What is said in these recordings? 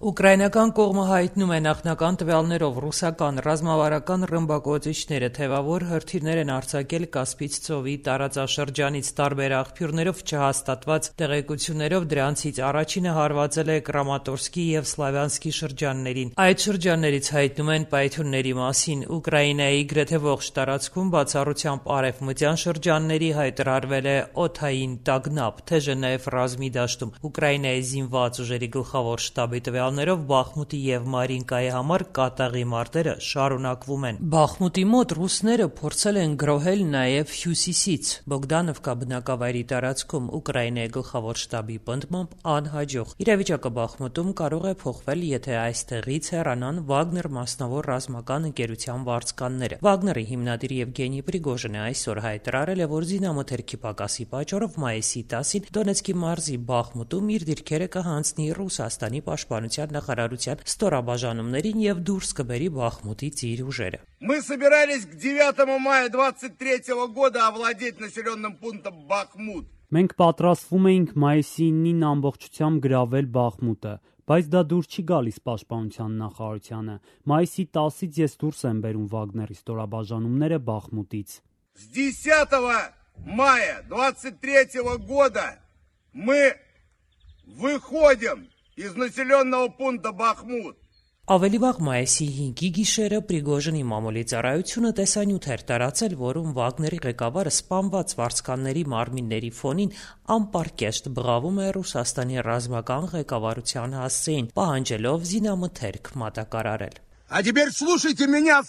Ուկրաինական կողմը հայտնում է նախնական տվյալներով ռուսական ռազմավարական ռմբակոծիչները թևավոր հրթիռներ են արձակել Կասպից ծովի տարածաշրջանից տարբեր աղբյուրներով չհաստատված տեղեկություններով դրանցից առաջինը հարվածել է Կրամատորսկի եւ Սլավյանսկի շրջաններին։ Այդ շրջաններից հայտնում են պայթյունների մասին։ Ուկրաինայի գրեթե ողջ տարածքում բացառությամբ արևմտյան շրջանների հայտարարվել է օդային տագնապ, թեժը նաեւ ռազմի դաշտում։ Ուկրաինայի զինված ուժերի գլխավոր շտաբի տվյալներով Բախմուտի եւ Մարինկայի համար կատաղի մարտերը շարունակվում են։ Բախմուտի մոտ ռուսները փորձել են գրոհել նաեւ հյուսիսից Բոգդանովկա բնակավայրի տարածքում Ուկրաինայի գլխավոր շտաբի պնդմամբ անհաջող։ Իրավիճակը Բախմուտում կարող է փոխվել, եթե այստեղից հեռանան Վագներ մասնավոր ռազմական ընկերության վարձկանները։ Վագների հիմնադիր Եվգենի Պրիգոժինը այսօր հայտարարել է, որ զինամթերքի պակասի պատճառով մայիսի 10-ին Դոնեցկի մարզի Բախմուտում իր դիրքերը կհանձնի Ռուսաստանի պաշտպանության նախարարության ստորաբաժանումներին եւ դուրս կբերի Բախմուտից իր ուժերը։ Мы собирались к 9 мая 23 года овладеть населенным пунктом Бахмут. Մենք պատրաստվում էինք մայիսի 9-ին ամբողջությամբ գրավել Բախմուտը, բայց դա դուրս չի գալիս պաշտպանության նախարարությանը։ Մայիսի 10-ից ես դուրս եմ բերում Վագների ստորաբաժանումները Բախմուտից։ С 10 мая 23 года мы выходим из населенного пункта Бахмут. Ավելի վաղ մայիսի 5-ի գիշերը Պրիգոժինի մամուլի ծառայությունը տեսանյութ էր տարածել, որում Վագների ղեկավարը սպանված վարձկանների մարմինների ֆոնին անպարկեշտ բղավում է Ռուսաստանի ռազմական ղեկավարության հասցեին, պահանջելով զինամթերք մատակարարել։ А теперь слушайте меня,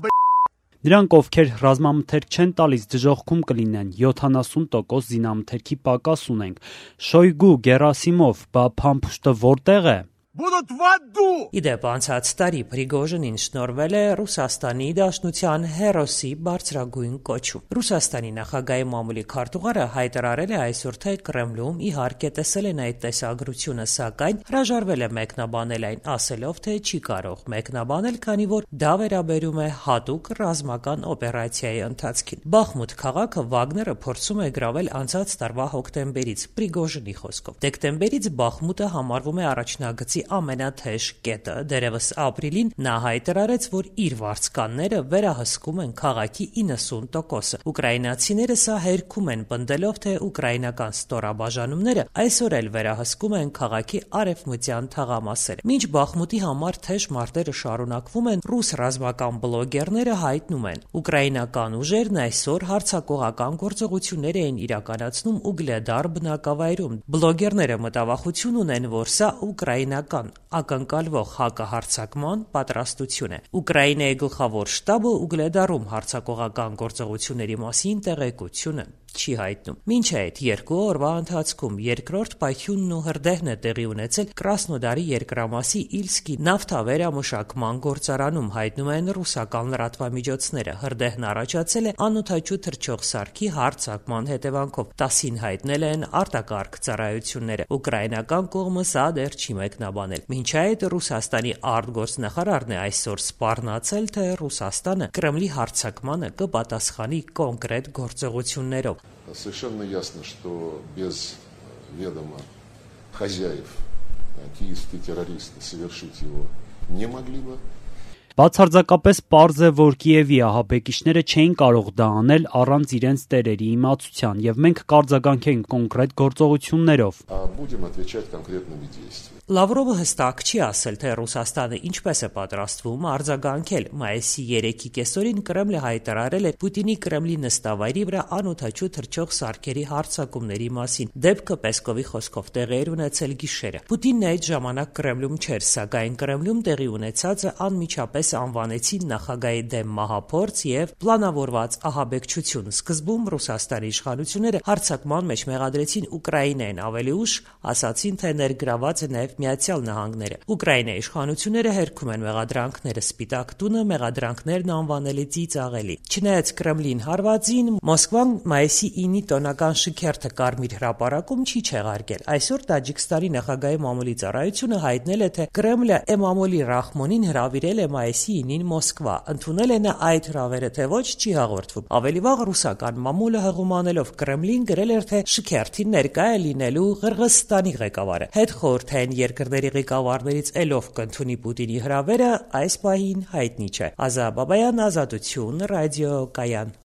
Նրանք, ովքեր ռազմամթերք չեն տալիս, դժոխքում կլինեն, 70% զինամթերքի պակաս ունենք։ Շոյգու, Գերասիմով, բա փամփուշտը որտեղ է։ будут в аду. Իդեպ անցած տարի Պրիգոժինին շնորհվել է Ռուսաստանի Դաշնության հերոսի բարձրագույն կոչում։ Ռուսաստանի նախագահի մամուլի քարտուղարը հայտարարել է այսօր, թե Կրեմլում իհարկե տեսել են այդ տեսագրությունը, սակայն հրաժարվել է մեկնաբանել այն, ասելով, թե չի կարող մեկնաբանել, քանի որ դա վերաբերում է հատուկ ռազմական օպերացիայի ընթացքին։ Բախմուտ քաղաքը Վագները փորձում է գրավել անցած տարվա հոկտեմբերից, Պրիգոժինի խոսքով։ Դեկտեմբերից Բախմուտը համարվում է առաջնագծի ամենաթեժ կետը։ Դերևս ապրիլին նա հայտարարեց, որ իր վարձկանները վերահսկում են քաղաքի 90%-ը։ Ուկրաինացիները սա հերքում են, պնդելով, թե ուկրաինական ստորաբաժանումները այսօր էլ վերահսկում են քաղաքի արևմտյան թաղամասերը։ Մինչ Բախմուտի համար թեժ մարտերը շարունակվում են, ռուս ռազմական բլոգերները հայտնում են, ուկրաինական ուժերն այսօր հարձակողական գործողություններ էին իրականացնում Ուգլեդար բնակավայրում։ Բլոգերները մտավախություն ունեն, որ սա ուկրաինական ակնկալվող հակահարձակման պատրաստություն է։ Ուկրաինայի գլխավոր շտաբը Ուգլեդարում հարձակողական գործողությունների մասին տեղեկությունը չի հայտնում։ Մինչ այդ երկու օրվա ընթացքում երկրորդ պայթյունն ու հրդեհն է տեղի ունեցել Կրասնոդարի երկրամասի Իլսկի նավթավերամշակման գործարանում, հայտնում են ռուսական լրատվամիջոցները։ Հրդեհն առաջացել է անօդաչու թռչող սարքի հարձակման հետևանքով, 10-ին հայտնել են արտակարգ ծառայությունները։ Ուկրաինական կողմը սա դեռ չի մեկնաբանել։ Մինչ այդ Ռուսաստանի արտգործնախարարն է այսօր սպառնացել, թե Ռուսաստանը Կրեմլի հարձակմանը կպատասխանի կոնկրետ գործողություններով։ Совершенно ясно, что без ведома хозяев киевские террористы совершить его не могли бы. Բացարձակապես պարզ է, որ Կիևի ահաբեկիչները չէին կարող դա անել առանց իրենց տերերի իմացության, եւ մենք կարձագանքենք կոնկրետ գործողություններով։ Будем отвечать конкретными действиями. Լավրովը հստակ չի ասել, թե Ռուսաստանը ինչպես է պատրաստվում արձագանքել։ Մայիսի 3-ի կեսօրին Կրեմլը հայտարարել է Պուտինի Կրեմլի նստավայրի վրա անօդաչու թռչող սարքերի հարձակումների մասին։ Դեպքը Պեսկովի խոսքով տեղի էր ունեցել գիշերը։ Պուտինն այդ ժամանակ Կրեմլում չէր, սակայն Կրեմլում տեղի ունեցածը անմիջապես անվանեցին նախագահի դեմ մահափորձ եւ պլանավորված ահաբեկչություն։ Սկզբում Ռուսաստանի իշխանությունները հարձակման մեջ մեղադրեցին Ուկրաինային, ավելի ուշ ասացին, թե ներգրաված է նաեւ Միացյալ Նահանգները։ Ուկրաինայի իշխանությունները հերքում են մեղադրանքները։ Սպիտակ տունը մեղադրանքներն անվանել է ծիծաղելի։ Չնայած Կրեմլին հարվածին, Մոսկվան մայիսի 9-ի տոնական շքերթը Կարմիր հրապարակում չի չեղարկել։ Այսօր Տաջիկստանի նախագահի մամուլի ծառայությունը հայտնել է, թե Կրեմլը Էմամոլի Ռախմոնին հրավիրել է մայիսի մայիսի 9-ին Մոսկվա։ Ընդունել է նա այդ հրավերը թե ոչ չի հաղորդվում։ Ավելի վաղ ռուսական մամուլը հղումանելով Կրեմլին գրել էր, թե շքերթին ներկա է լինելու Ղրղըզստանի ղեկավարը։ Հետխորհրդային երկրների ղեկավարներից ելով կընդունի Պուտինի հրավերը այս պահին հայտնի չէ։ Ազա Բաբայան, Ազատություն, ռադիո Կայան։